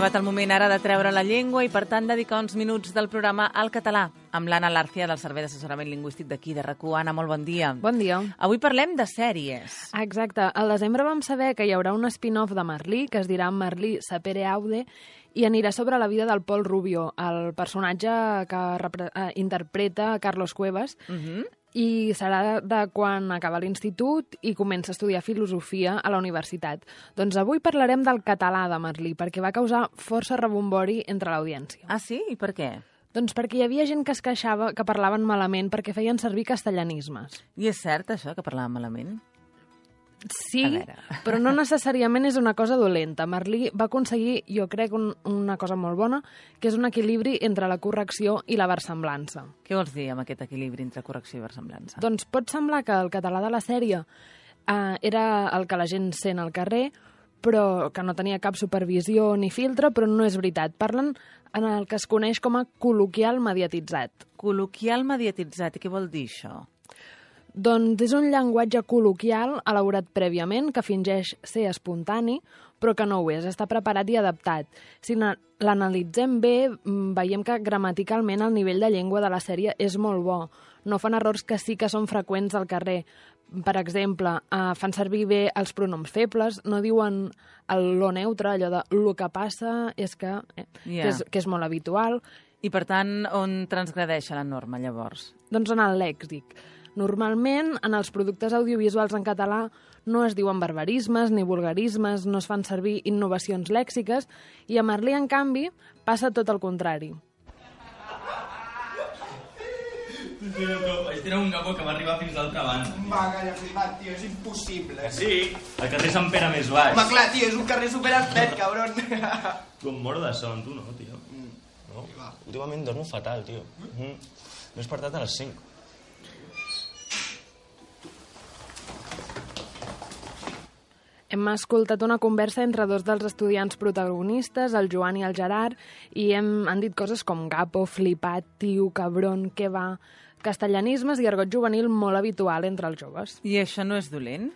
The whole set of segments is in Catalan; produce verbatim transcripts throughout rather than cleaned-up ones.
arribat el moment ara de treure la llengua i, per tant, dedicar uns minuts del programa al català amb l'Anna Lárcia del Servei d'Assessorament Lingüístic d'aquí, de RAC u. Anna, molt bon dia. Bon dia. Avui parlem de sèries. Exacte. Al desembre vam saber que hi haurà un spin-off de Merlí, que es dirà Merlí Sapere Aude, i anirà sobre la vida del Pol Rubio, el personatge que repre- eh, interpreta Carlos Cuevas, Uh-huh. i serà de quan acaba l'institut i comença a estudiar filosofia a la universitat. Doncs avui parlarem del català de Merlí, perquè va causar força rebombori entre l'audiència. Ah, sí? I per què? Doncs perquè hi havia gent que es queixava que parlaven malament perquè feien servir castellanismes. I és cert, això, que parlàvem malament? Sí, A veure. però no necessàriament és una cosa dolenta. Merlí va aconseguir, jo crec, un, una cosa molt bona, que és un equilibri entre la correcció i la versemblança. Què vols dir amb aquest equilibri entre correcció i versemblança? Doncs pot semblar que el català de la sèrie eh, era el que la gent sent al carrer, però que no tenia cap supervisió ni filtre, però no és veritat. Parlen en el que es coneix com a col·loquial mediatitzat. Col·loquial mediatitzat. I què vol dir això? Doncs és un llenguatge col·loquial elaborat prèviament que fingeix ser espontani, però que no ho és, està preparat i adaptat. Si na- l'analitzem bé, mm, veiem que gramaticalment el nivell de llengua de la sèrie és molt bo. No fan errors que sí que són freqüents al carrer. Per exemple, eh, fan servir bé els pronoms febles, no diuen el lo neutre, allò de lo que passa és que, eh, Ja. que, és, que és molt habitual. I, per tant, on transgredeix la norma, llavors? Doncs en el lèxic. Normalment, en els productes audiovisuals en català no es diuen barbarismes ni vulgarismes, no es fan servir innovacions lèxiques, i a Merlí, en canvi, passa tot el contrari. Vaig tirar un gapo que va arribar fins l'altra banda. Va, calla, flipat, tio, és impossible. Que sí? El carrer Sant Pere més baix. Home, clar, tio, és un carrer superestret, cabron. Com mort de son, tu no, tio. No, últimament dormo fatal, tio. Mm. M'he despertat a les cinc. Hem escoltat una conversa entre dos dels estudiants protagonistes, el Joan i el Gerard, i hem, han dit coses com gapo, flipat, tio, cabron, què va... Castellanismes i argot juvenil molt habitual entre els joves. I això no és dolent?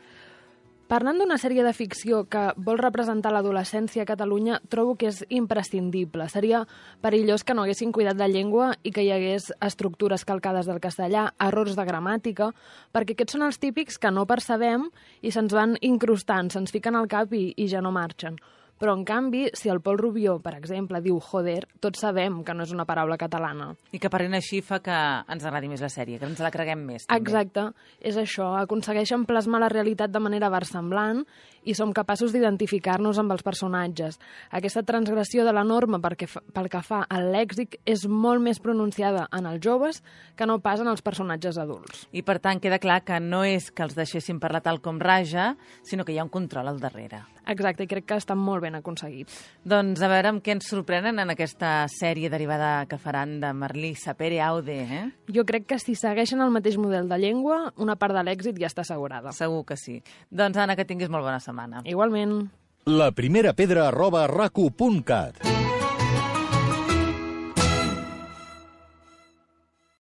Parlant d'una sèrie de ficció que vol representar l'adolescència a Catalunya, trobo que és imprescindible. Seria perillós que no haguessin cuidat la llengua i que hi hagués estructures calcades del castellà, errors de gramàtica, perquè aquests són els típics que no percebem i se'ns van incrustant, se'ns fiquen al cap i, i ja no marxen. Però, en canvi, si el Pol Rubió, per exemple, diu joder, tots sabem que no és una paraula catalana. I que parlant així fa que ens agradi més la sèrie, que ens la creguem més. També. Exacte, és això. Aconsegueixen plasmar la realitat de manera versemblant i som capaços d'identificar-nos amb els personatges. Aquesta transgressió de la norma perquè, pel que fa al lèxic és molt més pronunciada en els joves que no pas en els personatges adults. I, per tant, queda clar que no és que els deixessin parlar tal com raja, sinó que hi ha un control al darrere. Exacte, i crec que està molt ben aconseguit. Doncs a veure amb què ens sorprenen en aquesta sèrie derivada que faran de Merlí Sapere Aude, eh? Jo crec que si segueixen el mateix model de llengua, una part de l'èxit ja està assegurada. Segur que sí. Doncs, Anna, que tinguis molt bona setmana. Igualment. La primera pedra arroba rac u punt cat.